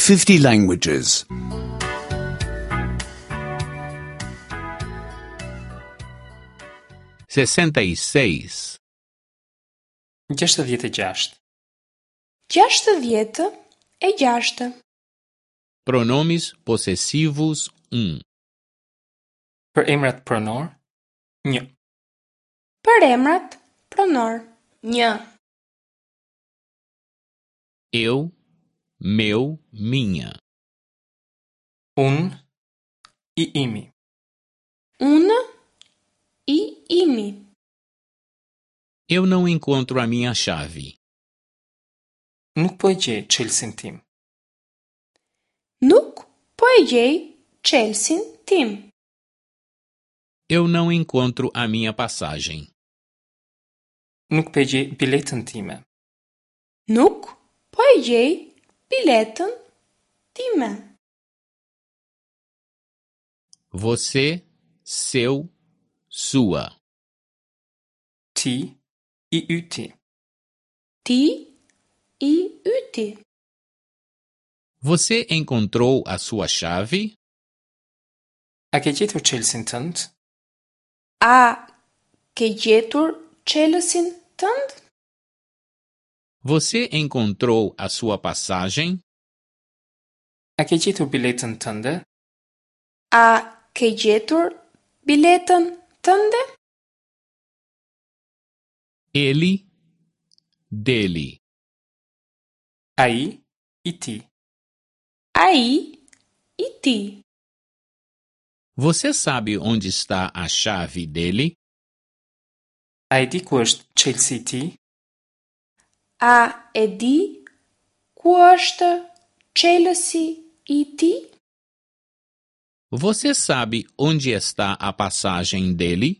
50 languages. 66. 66. 66. Pronomes possessivos 1. Për emrat pronor, 1. Për emrat pronor. 1. Eu, meu, minha. Unë, i imi. Unë i imi. Eu não encontro a minha chave. Nuk po e gjej çelësin tim. Nuk po e gjej çelësin tim. Eu não encontro a minha passagem. Nuk po e gjej biletën time. Nuk po e gjej biletën time. Você, seu, sua. Ti, i yti. Ti i yti. Você encontrou a sua chave? A ke gjetur çelësin tënd? A ke gjetur çelësin tënd? Você encontrou a sua passagem? A ke gjetur biletën tënde? A ke gjetur biletën tënde? Ele, dele. Ai, i tij. Ai i tij. Você sabe onde está a chave dele? A e di ku është çelësi i tij? A e di ku është çelësi i tij? Você sabe onde está a passagem dele?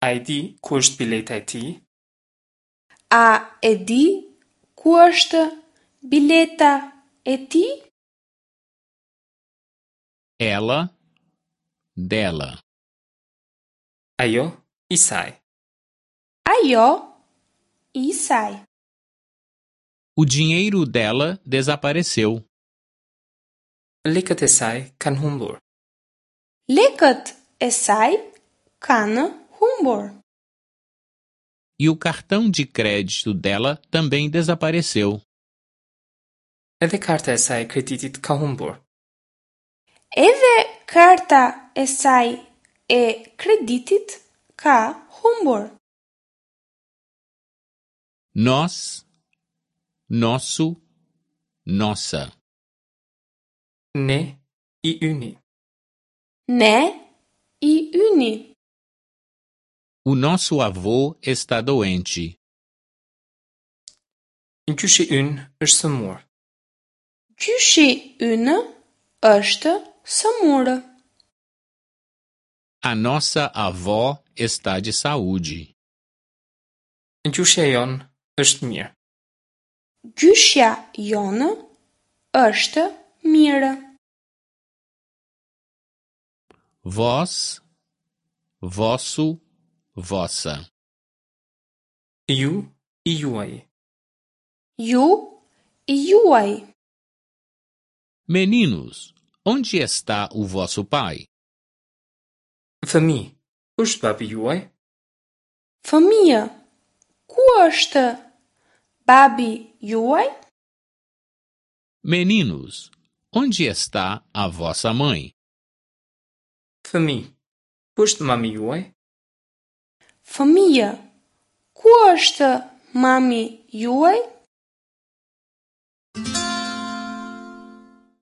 A e di ku është bileta e tij? A e di ku është bileta e tij? Ela, dela. Ajo, i saj. Ajo i saj. O dinheiro dela desapareceu. Lekët e saj kanë humbur. Lekët e saj kanë humbur. E o cartão de crédito dela também desapareceu. Edhe karta e saj e kreditit ka humbur. Edhe karta e saj e kreditit ka humbur. Nós, nosso, nossa. Ne, i yni. Ne i yni. O nosso avô está doente. Gjyshi ynë është sëmurë. Gjyshi ynë është sëmurë. A nossa avó está de saúde. Gjyshja jonë është mirë. Gjyshja jonë është mirë. Vós, vosso, vossa. Ju, i juaji. Ju i juaji. Meninos, onde está o vosso pai? Fëmijë, ku është babi juaj? Fëmijë, ku është babi juaj? Meninos, onde está a vossa mãe? Fëmijë, ku është mami juaj? Fëmijë, ku është mami juaj?